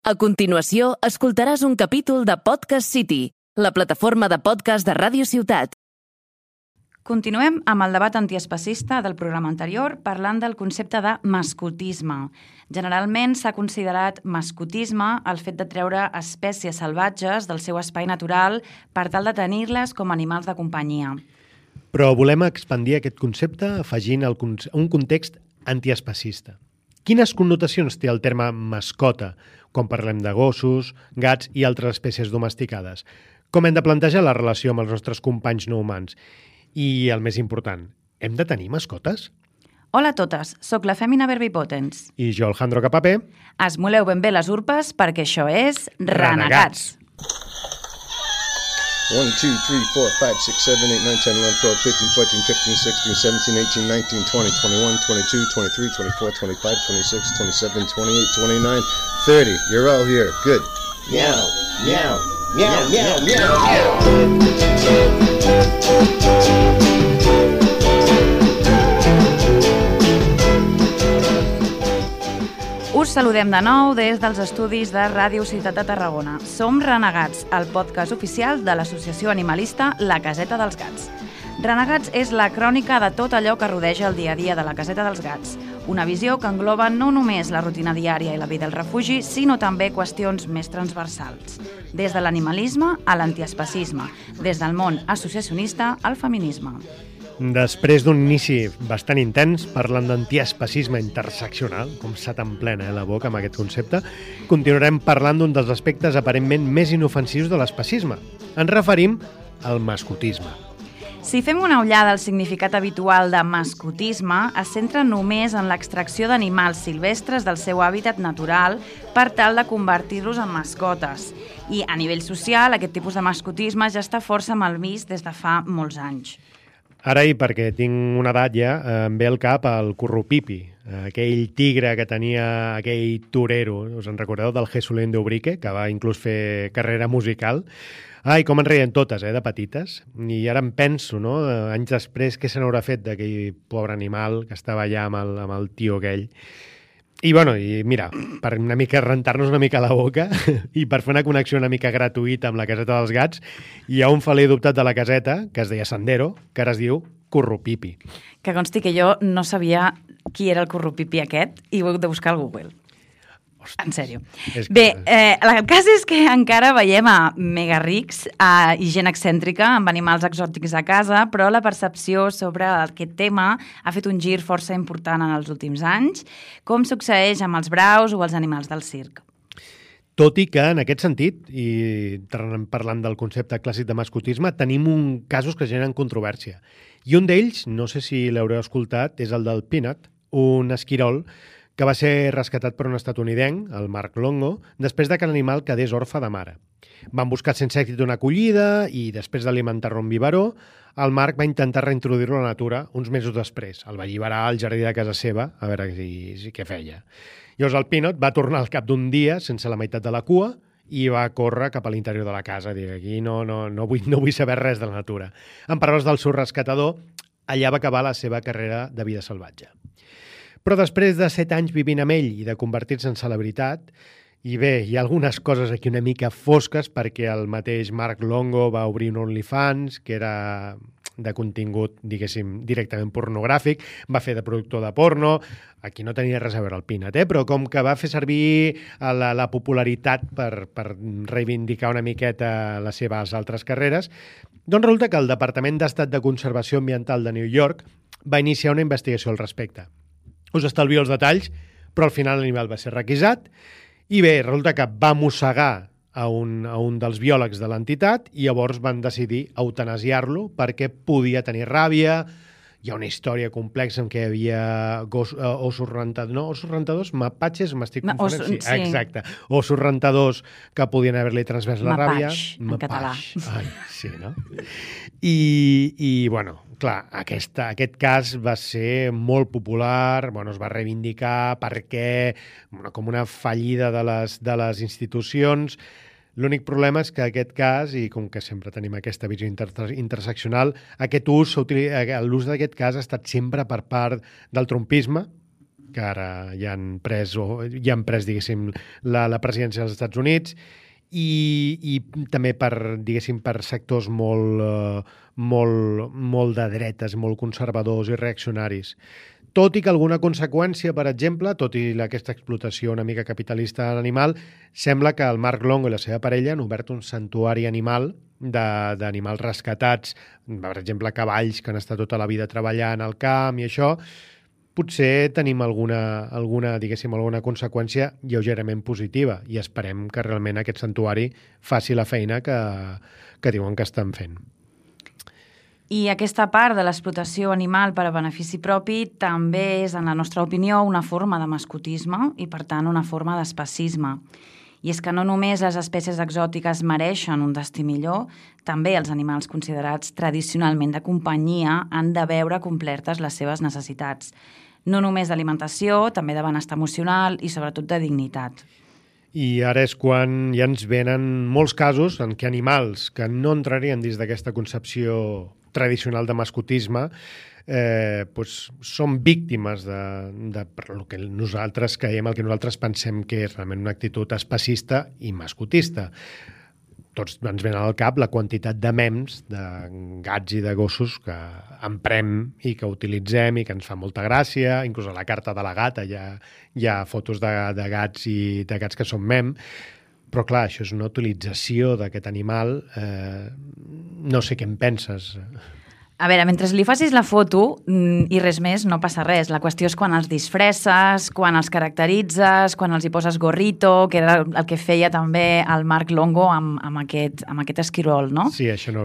A continuació, escoltaràs un capítol de Podcast City, la plataforma de podcast de Ràdio Ciutat. Continuem amb el debat antiespecista del programa anterior parlant del concepte de mascotisme. Generalment s'ha considerat mascotisme el fet de treure espècies salvatges del seu espai natural per tal de tenir-les com animals de companyia. Però volem expandir aquest concepte afegint un context antiespecista. Quines connotacions té el terme mascota quan parlem de gossos, gats i altres espècies domesticades? Com hem de plantejar la relació amb els nostres companys no humans? I el més important, hem de tenir mascotes? Hola a totes, sóc la Fèmina Verbipotens. I jo, Alejandro Capapé. Esmoleu ben bé les urpes perquè això és Renegats. 1, 2, 3, 4, 5, 6, 7, 8, 9, 10, 11, 12, 13, 14, 15, 16, 17, 18, 19, 20, 21, 22, 23, 24, 25, 26, 27, 28, 29, 30. You're all here. Good. Meow, meow, meow, meow, meow, meow. Us saludem de nou des dels estudis de Ràdio Ciutat de Tarragona. Som Renegats, el podcast oficial de l'associació animalista La Caseta dels Gats. Renegats és la crònica de tot allò que rodeja el dia a dia de la Caseta dels Gats. Una visió que engloba no només la rutina diària i la vida al refugi, sinó també qüestions més transversals. Des de l'animalisme a l'antiespecisme, des del món associacionista al feminisme. Després d'un inici bastant intens, parlant d'antiespecisme interseccional, com s'ha tan plena la boca amb aquest concepte, continuarem parlant d'un dels aspectes aparentment més inofensius de l'especisme. Ens referim al mascotisme. Si fem una ullada al significat habitual de mascotisme, es centra només en l'extracció d'animals silvestres del seu hàbitat natural per tal de convertir-los en mascotes. I a nivell social, aquest tipus de mascotisme ja està força mal vist des de fa molts anys. Ara, i perquè tinc una edat ja, em ve al cap el Currupipi, aquell tigre que tenia aquell torero, us en recordeu, del Jesulín d'Ubrique, que va inclús fer carrera musical. Ai, com en reien totes, de petites. I ara em penso, no?, anys després, què se n'haurà fet d'aquell pobre animal que estava allà amb el tio aquell. I, i mira, per una mica rentar-nos una mica la boca i per fer una connexió una mica gratuïta amb la Caseta dels Gats, hi ha un feler adoptat de la caseta, que es deia Sendero, que ara es diu Currupipi. Que consti que jo no sabia qui era el Currupipi aquest i ho he hagut de buscar al Google. En sèrio. Bé, el cas és que encara veiem a mega rics i gent excèntrica amb animals exòtics a casa, però la percepció sobre aquest tema ha fet un gir força important en els últims anys, com succeeix amb els braus o els animals del circ. Tot i que, en aquest sentit, i parlant del concepte clàssic de mascotisme, tenim casos que generen controvèrsia. I un d'ells, no sé si l'haureu escoltat, és el del Peanut, un esquirol que va ser rescatat per un estatunidenc, el Mark Longo, després que l'animal quedés orfe de mare. Van buscar sense èxit una acollida i, després d'alimentar-lo en biberó, el Mark va intentar reintroduir-lo a la natura uns mesos després. El va alliberar al jardí de casa seva, a veure què feia. Llavors el Peanut va tornar al cap d'un dia, sense la meitat de la cua, i va córrer cap a l'interior de la casa. Dic, aquí no vull saber res de la natura. En paraules del seu rescatador, allà va acabar la seva carrera de vida salvatge. Però després de 7 anys vivint amb ell i de convertir-se en celebritat, i bé, hi ha algunes coses aquí una mica fosques perquè el mateix Mark Longo va obrir un OnlyFans, que era de contingut, diguéssim, directament pornogràfic, va fer de productor de porno, aquí no tenia res a veure el Peanut, però com que va fer servir la popularitat per reivindicar una miqueta les seves altres carreres, doncs resulta que el Departament d'Estat de Conservació Ambiental de New York va iniciar una investigació al respecte. Us estalvio els detalls, però al final l'animal va ser requisat i bé, resulta que va mossegar a un dels biòlegs de l'entitat i llavors van decidir eutanasiar-lo perquè podia tenir ràbia. Hi ha una història complexa en què hi havia ossos rentadors, mapatges, m'estic confonent? Sí. Exacte. Ossos rentadors que podien haver-li transmès la ràbia. En català. Ai, sí, no? I bueno, clar, aquest cas va ser molt popular, es va reivindicar perquè, com una fallida de les institucions. L'únic problema és que aquest cas, i com que sempre tenim aquesta visió interseccional, l'ús d'aquest cas ha estat sempre per part del trumpisme, que ara ja han pres, diguéssim, la presidència dels Estats Units, i també per sectors molt de dretes, molt conservadors i reaccionaris. Tot i que alguna conseqüència, per exemple, tot i aquesta explotació una mica capitalista de l'animal, sembla que el Mark Longo i la seva parella han obert un santuari animal d'animals rescatats, per exemple, cavalls que han estat tota la vida treballant al camp i això. Potser tenim alguna conseqüència lleugerament positiva i esperem que realment aquest santuari faci la feina que diuen que estan fent. I aquesta part de l'explotació animal per a benefici propi també és, en la nostra opinió, una forma de mascotisme i, per tant, una forma d'especisme. I és que no només les espècies exòtiques mereixen un destí millor, també els animals considerats tradicionalment de companyia han de veure complertes les seves necessitats. No només d'alimentació, també de benestar emocional i, sobretot, de dignitat. I ara és quan ja ens venen molts casos en què animals que no entrarien dins d'aquesta concepció tradicional de mascotisme són víctimes per el que nosaltres creiem, el que nosaltres pensem que és realment una actitud especista i mascotista. Tots ens venen al cap la quantitat de mems de gats i de gossos que emprem i que utilitzem i que ens fa molta gràcia. Inclús a la carta de la gata hi ha fotos de gats i de gats que són mem. Però clar, això és una utilització d'aquest animal. No sé què en penses. A veure, mentre li facis la foto i res més, no passa res. La qüestió és quan els disfresses, quan els caracteritzes, quan els hi poses gorrito, que era el que feia també el Mark Longo amb aquest esquirol, no? Sí, això no.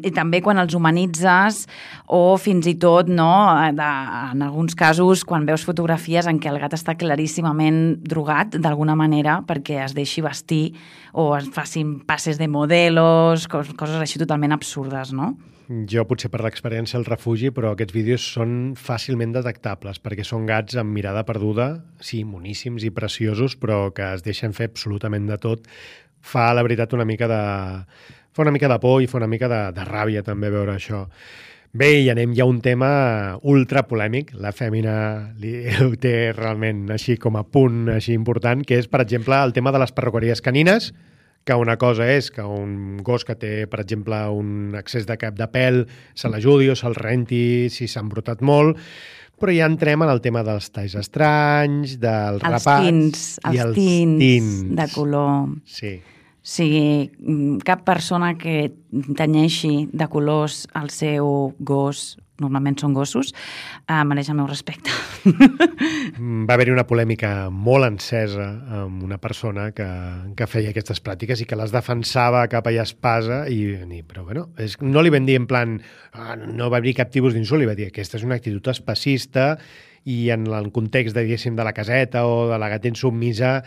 I també quan els humanitzes o fins i tot, no, en alguns casos, quan veus fotografies en què el gat està claríssimament drogat, d'alguna manera, perquè es deixi vestir o es facin passes de modelos, coses així totalment absurdes, no? Jo potser per l'experiència al refugi, però aquests vídeos són fàcilment detectables perquè són gats amb mirada perduda, sí, moníssims i preciosos, però que es deixen fer absolutament de tot. Fa, la veritat, una mica de por i fa una mica de ràbia també veure això. Bé, i anem ja a un tema ultra polèmic. La Fèmina ho té realment així com a punt així important, que és, per exemple, el tema de les perruqueries canines, que una cosa és que un gos que té, per exemple, un excés de cap de pèl se l'ajudi o se'l renti si s'ha embrutat molt, però ja entrem en el tema dels talls estranys, dels rapats i els tints de color. Sí. O sigui, cap persona que tenyeixi de colors el seu gos, normalment són gossos, mereix el meu respecte. Va haver-hi una polèmica molt encesa amb una persona que feia aquestes pràctiques i que les defensava capa i espasa, però bueno, no li vam dir en plan, no va haver cap tipus d'insult, li va dir que aquesta és una actitud especista i en el context, diguéssim, de la caseta o de la gata insubmisa,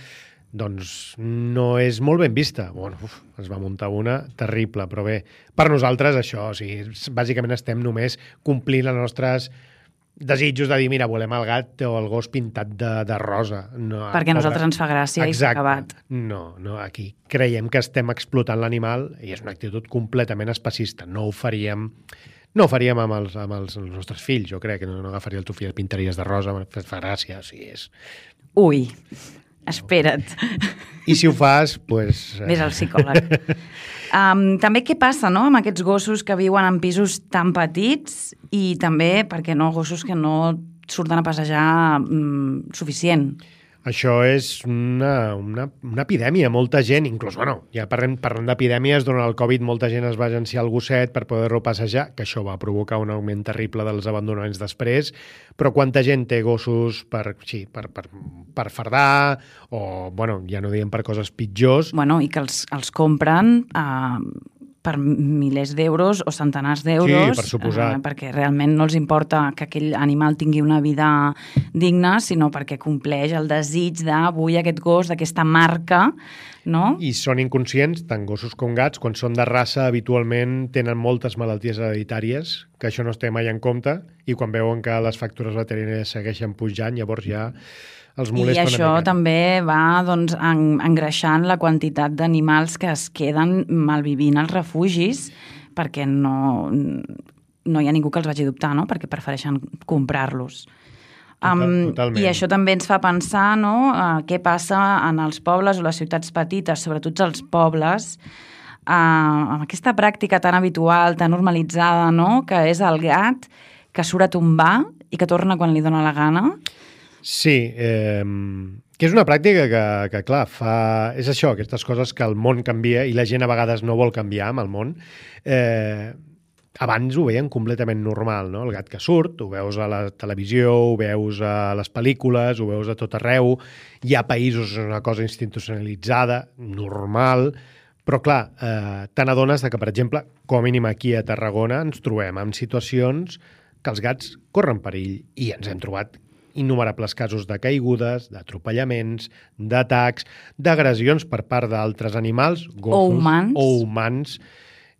doncs no és molt ben vista. Bueno, es va muntar una terrible, però bé, per nosaltres això, o sigui, bàsicament estem només complint els nostres desitjos de dir, mira, volem el gat o el gos pintat de rosa. No, perquè a nosaltres ens fa gràcia. Exacte. I s'ha acabat. No, aquí creiem que estem explotant l'animal i és una actitud completament especista. No ho faríem amb els nostres fills, jo crec, que no agafaria el teu fill i el pintaries de rosa, fa gràcia, o sigui, és... Ui, espera't. I si ho fas, doncs... Ves al psicòleg. També què passa, no?, amb aquests gossos que viuen en pisos tan petits i també, perquè no, gossos que no surten a passejar suficient. Això és una epidèmia. Molta gent, inclús, ja parlant d'epidèmies, durant el Covid molta gent es va agenciar el gosset per poder-lo passejar, que això va provocar un augment terrible dels abandonaments després, però quanta gent té gossos per fardar o, ja no diem per coses pitjors. I que els compren per milers d'euros o centenars d'euros, sí, per suposat. Perquè realment no els importa que aquell animal tingui una vida digna, sinó perquè compleix el desig d'avui aquest gos, d'aquesta marca, no? I són inconscients, tant gossos com gats, quan són de raça habitualment tenen moltes malalties hereditàries, que això no es té mai en compte, i quan veuen que les factures veterinàries segueixen pujant, llavors ja els molesta una mica. I això també va engreixant la quantitat d'animals que es queden malvivint als refugis perquè no hi ha ningú que els vagi a adoptar, no? Perquè prefereixen comprar-los. Totalment. I això també ens fa pensar, no?, què passa en els pobles o les ciutats petites, sobretot els pobles, amb aquesta pràctica tan habitual, tan normalitzada, no?, que és el gat que surt a tombar i que torna quan li dóna la gana. Sí, que és una pràctica que clar, és això, aquestes coses que el món canvia i la gent a vegades no vol canviar amb el món. Abans ho veien completament normal, no? El gat que surt, ho veus a la televisió, ho veus a les pel·lícules, ho veus a tot arreu. Hi ha països on és una cosa institucionalitzada, normal, però clar, te n'adones que, per exemple, com a mínim aquí a Tarragona ens trobem en situacions que els gats corren perill i ens hem trobat innumerables casos de caigudes, d'atropellaments, d'atacs, d'agressions per part d'altres animals, gossos o humans.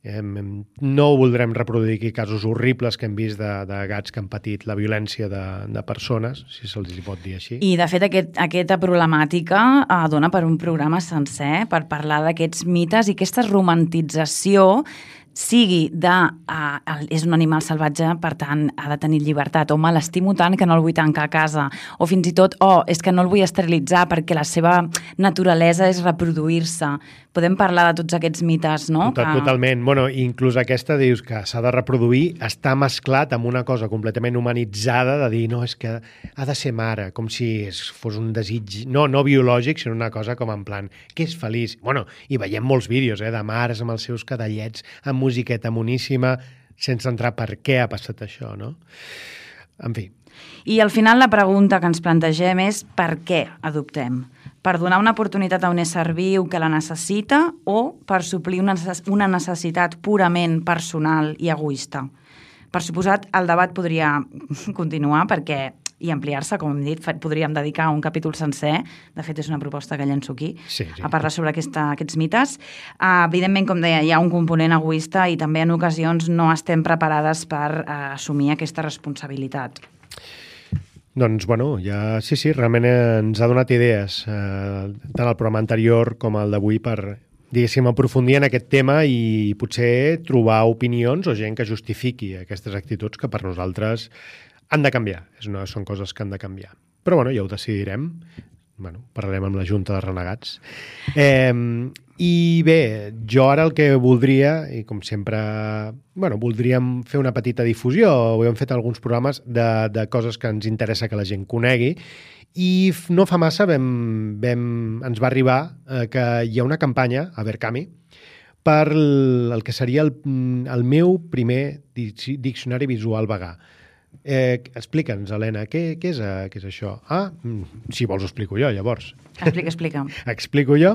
No voldrem reproduir aquí casos horribles que hem vist de gats que han patit la violència de persones, si se'ls pot dir així. I, de fet, aquesta problemàtica dona per un programa sencer per parlar d'aquests mites i aquesta romantització sigui és un animal salvatge, per tant, ha de tenir llibertat, o me l'estimo tant que no el vull tancar a casa, o fins i tot, és que no el vull esterilitzar perquè la seva naturalesa és reproduir-se. Podem parlar de tots aquests mites, no? Totalment. Bueno, inclús aquesta dius que s'ha de reproduir, està mesclat amb una cosa completament humanitzada de dir, no, és que ha de ser mare, com si fos un desig, no biològic, sinó una cosa com en plan, que és feliç. Bueno, i veiem molts vídeos de mares amb els seus cadallets, amb musiqueta moníssima, sense entrar per què ha passat això, no? En fi. I al final la pregunta que ens plantegem és per què adoptem? Per donar una oportunitat a un ésser viu que la necessita o per suplir una necessitat purament personal i egoista? Per suposat, el debat podria continuar i ampliar-se, com hem dit, podríem dedicar un capítol sencer, de fet és una proposta que llenço aquí, a parlar sobre aquests mites. Evidentment, com deia, hi ha un component egoista i també en ocasions no estem preparades per assumir aquesta responsabilitat. Doncs, bueno, sí, realment ens ha donat idees, tant el programa anterior com el d'avui, per, diguéssim, aprofundir en aquest tema i potser trobar opinions o gent que justifiqui aquestes actituds que per nosaltres han de canviar. Són coses que han de canviar. Però, bueno, ja ho decidirem. Bueno, parlarem amb la Junta de Renegats. I bé, jo ara el que voldria, i com sempre, bueno, voldríem fer una petita difusió, ho hem fet alguns programes de coses que ens interessa que la gent conegui, i no fa massa ens va arribar que hi ha una campanya a Verkami per el que seria el meu primer diccionari visual vegà. Explica'ns, Helena, què és això? Si vols ho explico jo, llavors. Explica. Explico jo?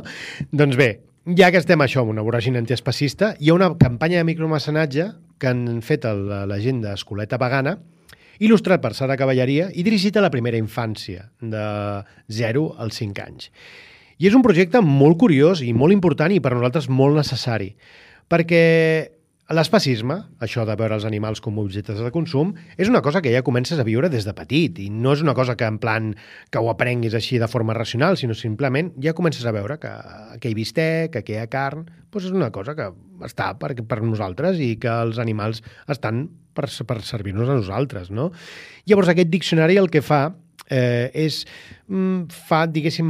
Doncs bé, ja que estem això, una voràgine antiespecista, hi ha una campanya de micromecenatge que han fet la gent d'Escoleta Vegana, il·lustrat per Sara Cavalleria i dirigit a la primera infància, de 0 als 5 anys. I és un projecte molt curiós i molt important i per nosaltres molt necessari, perquè l'especisme, això de veure els animals com objectes de consum, és una cosa que ja comences a viure des de petit i no és una cosa que en plan que ho aprenguis així de forma racional, sinó simplement ja comences a veure que hi ha bistec, que hi ha carn, doncs és una cosa que està per nosaltres i que els animals estan per servir-nos a nosaltres, no? Llavors aquest diccionari el que fa fa, diguéssim,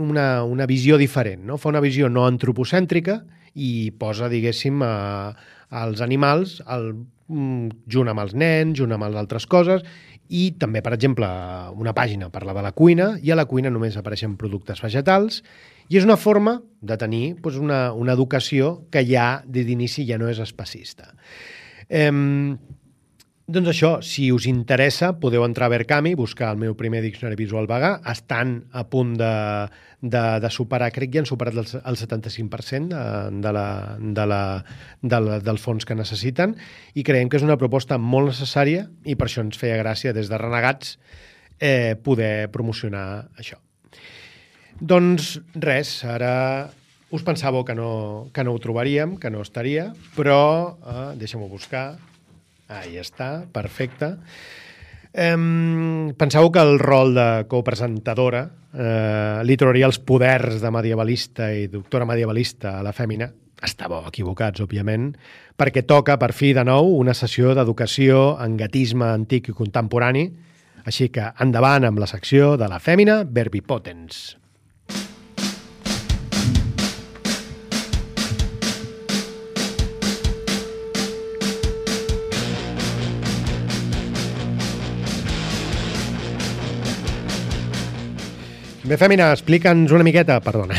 una visió diferent, no? Fa una visió no antropocèntrica i posa, diguéssim, els animals junt amb els nens, junt amb les altres coses, i també, per exemple, una pàgina parla de la cuina, i a la cuina només apareixen productes vegetals, i és una forma de tenir una educació que ja, d'inici, ja no és especista. Doncs això, si us interessa, podeu entrar a Verkami, buscar el meu primer diccionari visual vegà. Estan a punt de superar, crec que ja han superat el 75% del fons que necessiten i creiem que és una proposta molt necessària i per això ens feia gràcia des de Renegats poder promocionar això. Doncs res, ara us pensàveu que no ho trobaríem, que no estaria, però deixem-ho buscar. Ahí està, perfecte. Penseu que el rol de copresentadora li trobaria els poders de medievalista i doctora medievalista a la fèmina. Estàveu equivocats, òbviament, perquè toca, per fi, de nou, una sessió d'educació en gatisme antic i contemporani Així que endavant amb la secció de la fèmina Verbipotens. Bé, Fèmina, explica'ns una miqueta, perdona.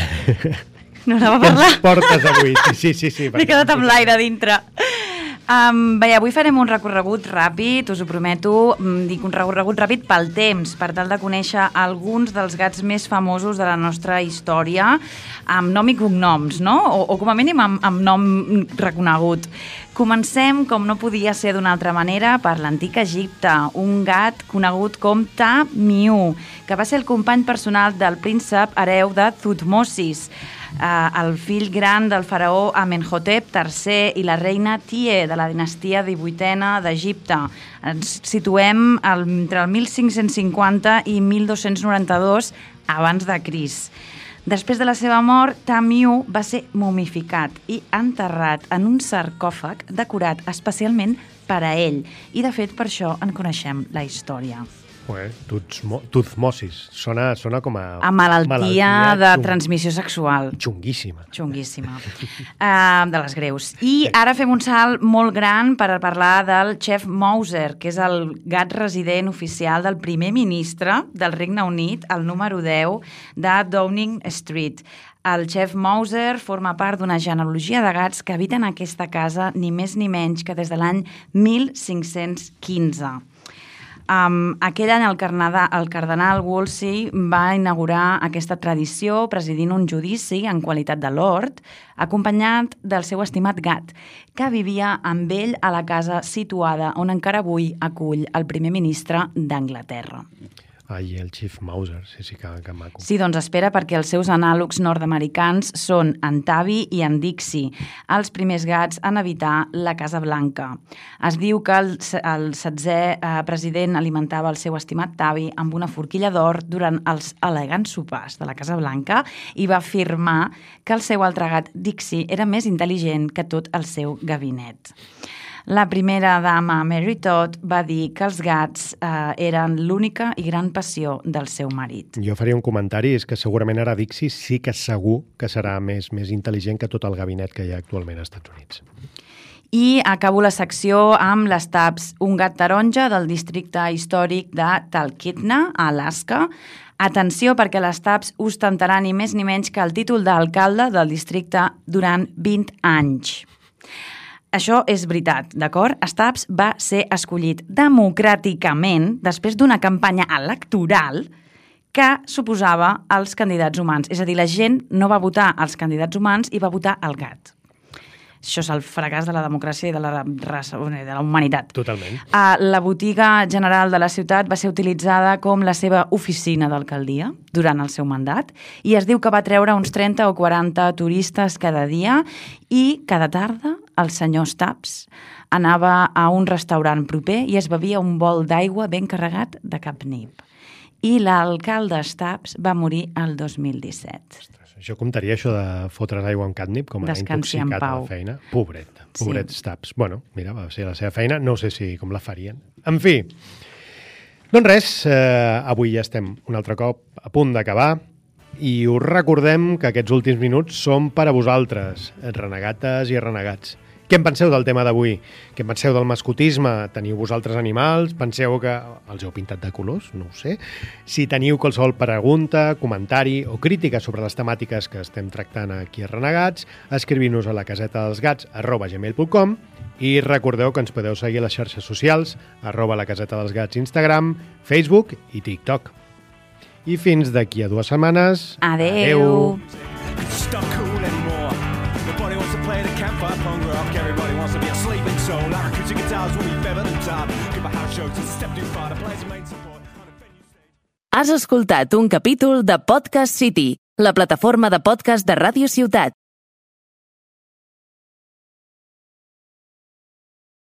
No anava a Què parlar. ens portes avui? Sí. M'he quedat amb l'aire dintre. Bé, avui farem un recorregut ràpid, us ho prometo, dic un recorregut ràpid pel temps, per tal de conèixer alguns dels gats més famosos de la nostra història, amb nom i cognoms, no? O com a mínim amb nom reconegut. Comencem, com no podia ser d'una altra manera, per l'antic Egipte, un gat conegut com Ta-Miu, que va ser el company personal del príncep hereu de Thutmosis, el fill gran del faraó Amenhotep III i la reina Tie de la dinastia 18a d'Egipte. Ens situem entre el 1550 i 1292 abans de Crist. Després de la seva mort, Ta-Miu va ser momificat i enterrat en un sarcòfag decorat especialment per a ell. I, de fet, per això en coneixem la història. Thutmosis. Sona com a... A malaltia de transmissió sexual. Xunguíssima. De les greus. I ara fem un salt molt gran per parlar del Chef Mauser, que és el gat resident oficial del primer ministre del Regne Unit, el número 10 de Downing Street. El Chef Mauser forma part d'una genealogia de gats que habiten aquesta casa ni més ni menys que des de l'any 1515. Aquell any el cardenal Wolsey va inaugurar aquesta tradició presidint un judici en qualitat de lord, acompanyat del seu estimat gat, que vivia amb ell a la casa situada on encara avui acull el primer ministre d'Anglaterra. Ai, el Chief Mauser, sí, que maco. Sí, doncs espera, perquè els seus anàlogs nord-americans són en Tavi i en Dixie, els primers gats en habitar la Casa Blanca. Es diu que el 16è president alimentava el seu estimat Tavi amb una forquilla d'or durant els elegants sopars de la Casa Blanca i va afirmar que el seu altre gat, Dixie, era més intel·ligent que tot el seu gabinet. La primera dama, Mary Todd, va dir que els gats eren l'única i gran passió del seu marit. Jo faria un comentari, és que segurament ara Dixie sí que segur que serà més intel·ligent que tot el gabinet que hi ha actualment als Estats Units. I acabo la secció amb les Taps, un gat taronja del districte històric de Talkeetna, a Alaska. Atenció, perquè les Taps ostentaran ni més ni menys que el títol d'alcalde del districte durant 20 anys. Això és veritat, d'acord? Stubbs va ser escollit democràticament després d'una campanya electoral que suposava els candidats humans. És a dir, la gent no va votar els candidats humans i va votar el gat. Això és el fracàs de la democràcia i de la raça, de la humanitat. Totalment. La botiga general de la ciutat va ser utilitzada com la seva oficina d'alcaldia durant el seu mandat i es diu que va treure uns 30 o 40 turistes cada dia i cada tarda el senyor Stubbs anava a un restaurant proper i es bevia un bol d'aigua ben carregat de capnip. I l'alcalde Stubbs va morir el 2017. Això comptaria, això de fotre's aigua amb catnip, com a intoxicat a la feina? Pobret sí. Stubbs. Bueno, mira, va ser la seva feina, no sé si com la farien. En fi, doncs res, avui ja estem un altre cop a punt d'acabar i us recordem que aquests últims minuts són per a vosaltres, renegates i renegats. Què en penseu del tema d'avui? Què en penseu del mascotisme? Teniu vosaltres animals? Penseu que els heu pintat de colors? No ho sé. Si teniu qualsevol pregunta, comentari o crítica sobre les temàtiques que estem tractant aquí a Renegats, escriviu-nos a lacasetadelsgats@gmail.com i recordeu que ens podeu seguir a les xarxes socials @lacasetadelsgats Instagram, Facebook i TikTok. I fins d'aquí a 2 setmanes. Adeu. Has escoltat un capítol de Podcast City, la plataforma de podcast de Ràdio Ciutat.